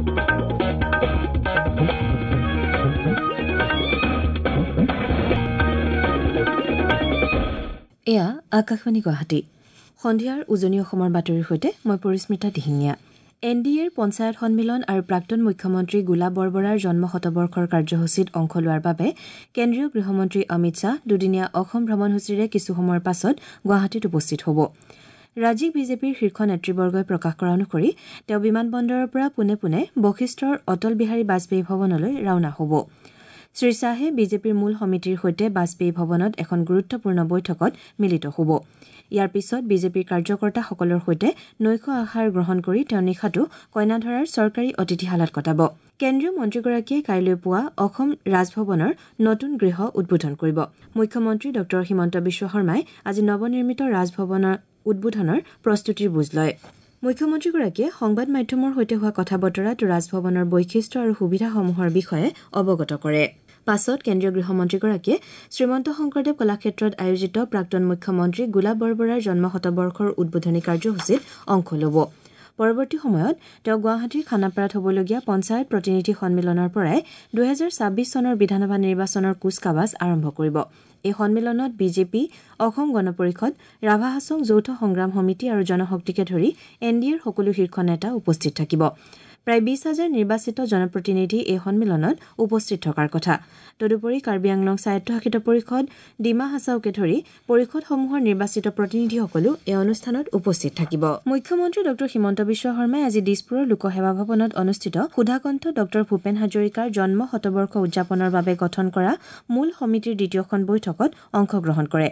এয়া আকাশবাণী গুৱাহাটী। সন্ধিয়াৰ উজনি অসমৰ বাতৰিৰ সৈতে মই পৰিস্মিতা দিহিঙীয়া। এন ডি এৰ পঞ্চায়ত সন্মিলন আৰু প্ৰাক্তন মুখ্যমন্ত্ৰী গোলাপ বৰবৰাৰ জন্ম শতবৰ্ষৰ কাৰ্যসূচীত অংশ লোৱাৰ বাবে কেন্দ্ৰীয় গৃহমন্ত্ৰী অমিত শ্বাহ দুদিনীয়া অসম ভ্ৰমণসূচীৰে কিছু সময়ৰ পাছত গুৱাহাটীত উপস্থিত হ'ব। ৰাজ্যিক বিজেপিৰ শীৰ্ষ নেতৃবৰ্গই প্ৰকাশ কৰা অনুসৰি তেওঁ বিমানবন্দৰৰ পৰা পোনে পোনে বশিষ্ঠৰ অটল বিহাৰী বাজপেয়ী ভৱনলৈ ৰাওনা হ'ব। শ্ৰী শ্বাহে বিজেপিৰ মূল সমিতিৰ সৈতে বাজপেয়ী ভৱনত এখন গুৰুত্বপূৰ্ণ বৈঠকত মিলিত হ'ব। ইয়াৰ পিছত বিজেপিৰ কাৰ্যকৰ্তাসকলৰ সৈতে নৈশ আহাৰ গ্ৰহণ কৰি তেওঁ নিশাটো কইনাধৰাৰ চৰকাৰী অতিথিশালাত কটাব। কেন্দ্ৰীয় মন্ত্ৰীগৰাকীয়ে কাইলৈ পুৱা অসম ৰাজভৱনৰ নতুন গৃহ উদ্বোধন কৰিব। মুখ্যমন্ত্ৰী ডঃ হিমন্ত বিশ্ব শৰ্মাই আজি নৱনিৰ্মিত ৰাজভৱনৰ উদ্বোধনৰ প্ৰস্তুতিৰ বুজ লয়। মুখ্যমন্ত্ৰীগৰাকীয়ে সংবাদ মাধ্যমৰ সৈতে হোৱা কথা বতৰাত ৰাজভৱনৰ বৈশিষ্ট্য আৰু সুবিধাসমূহৰ বিষয়ে অৱগত কৰে। পাছত কেন্দ্ৰীয় গৃহমন্ত্ৰীগৰাকীয়ে শ্ৰীমন্ত শংকৰদেৱ কলাক্ষেত্ৰত আয়োজিত প্ৰাক্তন মুখ্যমন্ত্ৰী গোলাপ বৰবৰাৰ জন্ম শতবৰ্ষৰ উদ্বোধনী কাৰ্যসূচীত অংশ ল'ব। পৰৱৰ্তী সময়ত তেওঁ গুৱাহাটীৰ খানাপাৰাত হ'বলগীয়া পঞ্চায়ত প্ৰতিনিধি সন্মিলনৰ পৰাই ২০২৬ চনৰ বিধানসভা নিৰ্বাচনৰ কুচকাৱাজ আৰম্ভ কৰিব। এই সন্মিলনত বিজেপি, অসম গণ পৰিষদ, ৰাভা হাছং যৌথ সংগ্ৰাম সমিতি আৰু জনশক্তিকে ধৰি এন ডি এৰ সকলো শীৰ্ষ নেতা উপস্থিত থাকিব। প্ৰায় ২০ হাজাৰ নিৰ্বাচিত জনপ্ৰতিনিধি এই সন্মিলনত উপস্থিত থকাৰ কথা। তদুপৰি কাৰ্বি আংলং স্বায়ত্তশাসিত পৰিষদ, ডিমা হাছাওকে ধৰি পৰিষদসমূহৰ নিৰ্বাচিত প্ৰতিনিধিসকলো এই অনুষ্ঠানত উপস্থিত থাকিব। মুখ্যমন্ত্ৰী ডঃ হিমন্ত বিশ্ব শৰ্মাই আজি দিছপুৰৰ লোকসেৱা ভৱনত অনুষ্ঠিত সুধাকণ্ঠ ডঃ ভূপেন হাজৰিকাৰ জন্ম শতবৰ্ষ উদযাপনৰ বাবে গঠন কৰা মূল সমিতিৰ দ্বিতীয়খন বৈঠকত অংশগ্ৰহণ কৰে।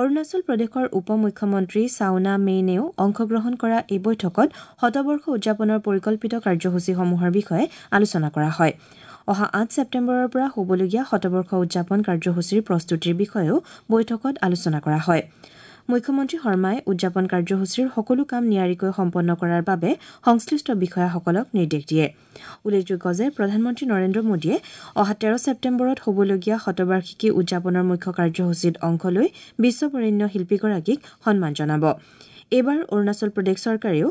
অৰুণাচল প্ৰদেশৰ উপ মুখ্যমন্ত্ৰী চাওনা মেইনেও অংশগ্ৰহণ কৰা এই বৈঠকত শতবৰ্ষ উদযাপনৰ পৰিকল্পিত কাৰ্যসূচীসমূহৰ বিষয়ে আলোচনা কৰা হয়। অহা ৮ ছেপ্টেম্বৰৰ পৰা হ'বলগীয়া শতবৰ্ষ উদযাপন কাৰ্যসূচীৰ প্ৰস্তুতিৰ বিষয়েও বৈঠকত আলোচনা কৰা হয়। মুখ্যমন্ত্ৰী শৰ্মাই উদযাপন কাৰ্যসূচীৰ সকলো কাম নিয়াৰিকৈ সম্পন্ন কৰাৰ বাবে সংশ্লিষ্ট বিষয়াসকলক নিৰ্দেশ দিয়ে। উল্লেখযোগ্য যে প্ৰধানমন্ত্ৰী নৰেন্দ্ৰ মোদীয়ে অহা ১৩ ছেপ্টেম্বৰত হ'বলগীয়া শতবাৰ্ষিকী উদযাপনৰ মুখ্য কাৰ্যসূচীত অংশ লৈ বিশ্ববৰেণ্য শিল্পীগৰাকীক সন্মান জনাব। এইবাৰ অৰুণাচল প্ৰদেশ চৰকাৰেও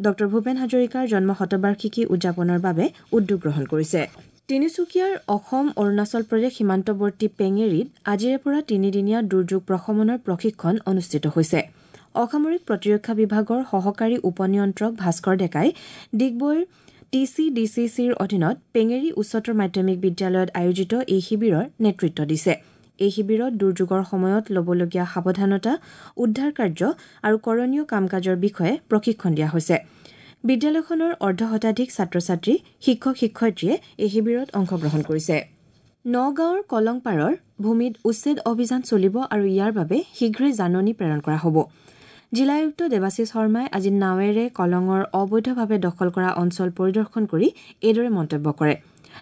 ডঃ ভূপেন হাজৰিকাৰ জন্ম শতবাৰ্ষিকী উদযাপনৰ বাবে উদ্যোগ গ্ৰহণ কৰিছে। তিনিচুকীয়াৰ অসম অৰুণাচল প্ৰদেশ সীমান্তৱৰ্তী পেঙেৰীত আজিৰে পৰা তিনিদিনীয়া দুৰ্যোগ প্ৰশমনৰ প্ৰশিক্ষণ অনুষ্ঠিত হৈছে। অসামৰিক প্ৰতিৰক্ষা বিভাগৰ সহকাৰী উপ নিয়ন্ত্ৰক ভাস্কৰ ডেকাই ডিগবৈৰ টি চি ডি চি চিৰ অধীনত পেঙেৰী উচ্চতৰ মাধ্যমিক বিদ্যালয়ত আয়োজিত এই শিবিৰৰ নেতৃত্ব দিছে। এই শিবিৰত দুৰ্যোগৰ সময়ত ল'বলগীয়া সাৱধানতা, উদ্ধাৰ কাৰ্য আৰু কৰণীয় কাম কাজৰ বিষয়ে প্ৰশিক্ষণ দিয়া হৈছে। বিদ্যালয়খনৰ অৰ্ধশতাধিক ছাত্ৰ ছাত্ৰী, শিক্ষক শিক্ষয়িত্ৰীয়ে এই শিবিৰত অংশগ্ৰহণ কৰিছে। নগাঁৱৰ কলংপাৰৰ ভূমিত উচ্ছেদ অভিযান চলিব আৰু ইয়াৰ বাবে শীঘ্ৰেই জাননী প্ৰেৰণ কৰা হ'ব। জিলা আয়ুক্ত দেৱাশীষ শৰ্মাই আজি নাৱেৰে কলঙৰ অবৈধভাৱে দখল কৰা অঞ্চল পৰিদৰ্শন কৰি এইদৰে মন্তব্য কৰে।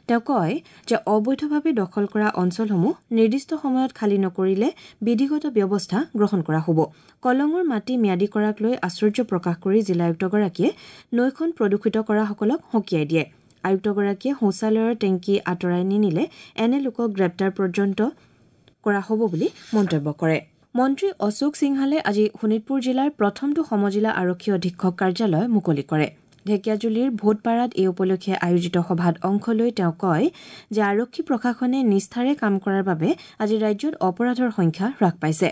তেওঁ কয় যে অবৈধভাৱে দখল কৰা অঞ্চলসমূহ নিৰ্দিষ্ট সময়ত খালী নকৰিলে বিধিগত ব্যৱস্থা গ্ৰহণ কৰা হ'ব। কলঙৰ মাটি ম্যাদী কৰাক লৈ আশ্চৰ্য প্ৰকাশ কৰি জিলা আয়ুক্তগৰাকীয়ে নৈখন প্ৰদূষিত কৰাসকলক সকীয়াই দিয়ে। আয়ুক্তগৰাকীয়ে শৌচালয়ৰ টেংকী আঁতৰাই নিনিলে এনে লোকক গ্ৰেপ্তাৰ পৰ্যন্ত কৰা হ'ব বুলি মন্তব্য কৰে। মন্ত্ৰী অশোক সিংহালে আজি শোণিতপুৰ জিলাৰ প্ৰথমটো সমজিলা আৰক্ষী অধীক্ষক কাৰ্যালয় মুকলি কৰে। ঢেকীয়াজুলিৰ ভোটপাৰাত এই উপলক্ষে আয়োজিত সভাত অংশ লৈ তেওঁ কয় যে আৰক্ষী প্ৰশাসনে নিষ্ঠাৰে কাম কৰাৰ বাবে আজি ৰাজ্যত অপৰাধৰ সংখ্যা হ্ৰাস পাইছে।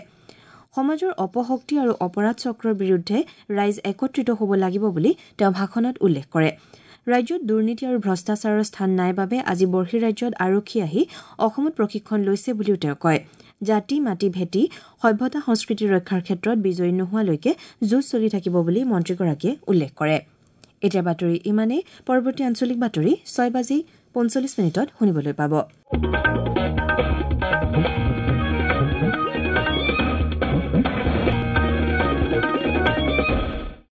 সমাজৰ অপশক্তি আৰু অপৰাধ চক্ৰৰ বিৰুদ্ধে ৰাইজ একত্ৰিত হ'ব লাগিব বুলি তেওঁ ভাষণত উল্লেখ কৰে। ৰাজ্যত দুৰ্নীতি আৰু ভ্ৰষ্টাচাৰৰ স্থান নাই বাবে আজি বৰ্হিৰাজ্যত আৰক্ষী আহি অসমত প্ৰশিক্ষণ লৈছে বুলিও তেওঁ কয়। জাতি মাটি ভেটি সভ্যতা সংস্কৃতি ৰক্ষাৰ ক্ষেত্ৰত বিজয়ী নোহোৱালৈকে যুঁজ চলি থাকিব বুলি মন্ত্ৰীগৰাকীয়ে উল্লেখ কৰে। এতিয়া বাতৰি ইমানেই। পৰৱৰ্তী আঞ্চলিক বাতৰি ৬:৪৫ শুনিবলৈ পাব।